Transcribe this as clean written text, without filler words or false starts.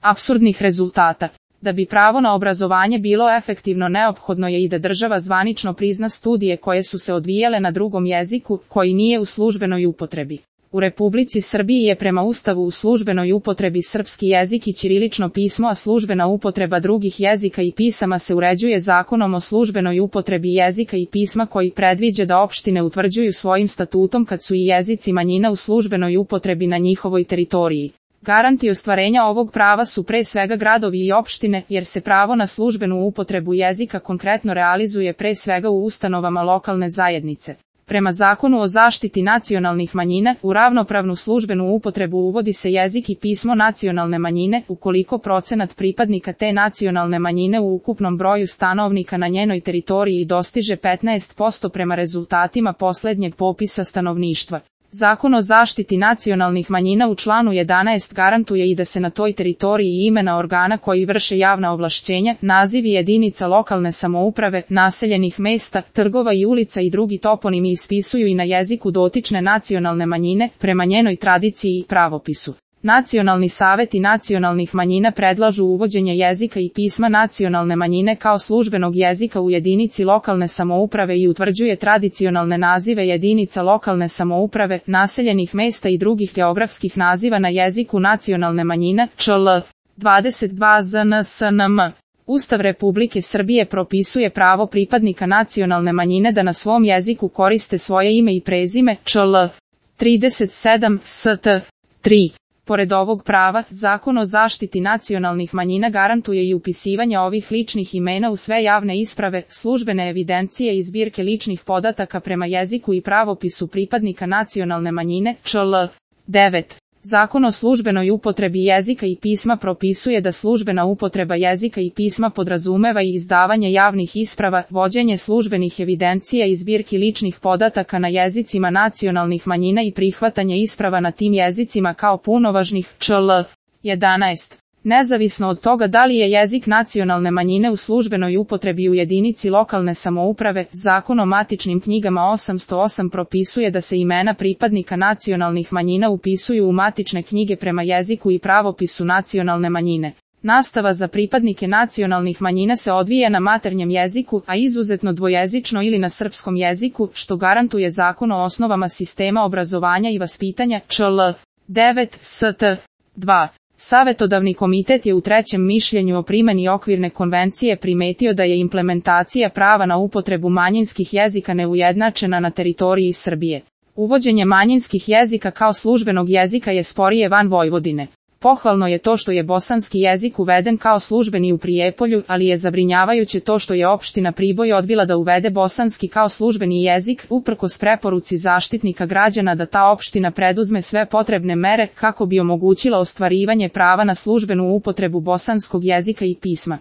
apsurdnih rezultata. Da bi pravo na obrazovanje bilo efektivno, neophodno je i da država zvanično prizna studije koje su se odvijale na drugom jeziku, koji nije u službenoj upotrebi. U Republici Srbiji je prema Ustavu u službenoj upotrebi srpski jezik i ćirilično pismo, a službena upotreba drugih jezika i pisama se uređuje Zakonom o službenoj upotrebi jezika i pisma, koji predviđa da opštine utvrđuju svojim statutom kad su i jezici manjina u službenoj upotrebi na njihovoj teritoriji. Garanti ostvarenja ovog prava su pre svega gradovi i opštine, jer se pravo na službenu upotrebu jezika konkretno realizuje pre svega u ustanovama lokalne zajednice. Prema Zakonu o zaštiti nacionalnih manjina, u ravnopravnu službenu upotrebu uvodi se jezik i pismo nacionalne manjine, ukoliko procenat pripadnika te nacionalne manjine u ukupnom broju stanovnika na njenoj teritoriji dostiže 15% prema rezultatima poslednjeg popisa stanovništva. Zakon o zaštiti nacionalnih manjina u članu 11 garantuje i da se na toj teritoriji imena organa koji vrše javna ovlašćenja, nazivi jedinica lokalne samouprave, naseljenih mesta, trgova i ulica i drugi toponimi ispisuju i na jeziku dotične nacionalne manjine, prema njenoj tradiciji i pravopisu. Nacionalni saveti nacionalnih manjina predlažu uvođenje jezika i pisma nacionalne manjine kao službenog jezika u jedinici lokalne samouprave i utvrđuje tradicionalne nazive jedinica lokalne samouprave, naseljenih mesta i drugih geografskih naziva na jeziku nacionalne manjine, čl. 22 ZNSNM. Ustav Republike Srbije propisuje pravo pripadnika nacionalne manjine da na svom jeziku koriste svoje ime i prezime, čl. 37 ST. 3. Pored ovog prava, Zakon o zaštiti nacionalnih manjina garantuje i upisivanje ovih ličnih imena u sve javne isprave, službene evidencije i zbirke ličnih podataka prema jeziku i pravopisu pripadnika nacionalne manjine, čl. 9. Zakon o službenoj upotrebi jezika i pisma propisuje da službena upotreba jezika i pisma podrazumeva i izdavanje javnih isprava, vođenje službenih evidencija i zbirki ličnih podataka na jezicima nacionalnih manjina i prihvatanje isprava na tim jezicima kao punovažnih, čl. 11. Nezavisno od toga da li je jezik nacionalne manjine u službenoj upotrebi u jedinici lokalne samouprave, Zakon o matičnim knjigama 808 propisuje da se imena pripadnika nacionalnih manjina upisuju u matične knjige prema jeziku i pravopisu nacionalne manjine. Nastava za pripadnike nacionalnih manjina se odvija na maternjem jeziku, a izuzetno dvojezično ili na srpskom jeziku, što garantuje Zakon o osnovama sistema obrazovanja i vaspitanja, čl. 9 ST. 2. Savetodavni komitet je u trećem mišljenju o primeni okvirne konvencije primetio da je implementacija prava na upotrebu manjinskih jezika neujednačena na teritoriji Srbije. Uvođenje manjinskih jezika kao službenog jezika je sporije van Vojvodine. Pohvalno je to što je bosanski jezik uveden kao službeni u Prijepolju, ali je zabrinjavajuće to što je opština Priboj odbila da uvede bosanski kao službeni jezik, uprkos preporuci Zaštitnika građana da ta opština preduzme sve potrebne mere kako bi omogućila ostvarivanje prava na službenu upotrebu bosanskog jezika i pisma.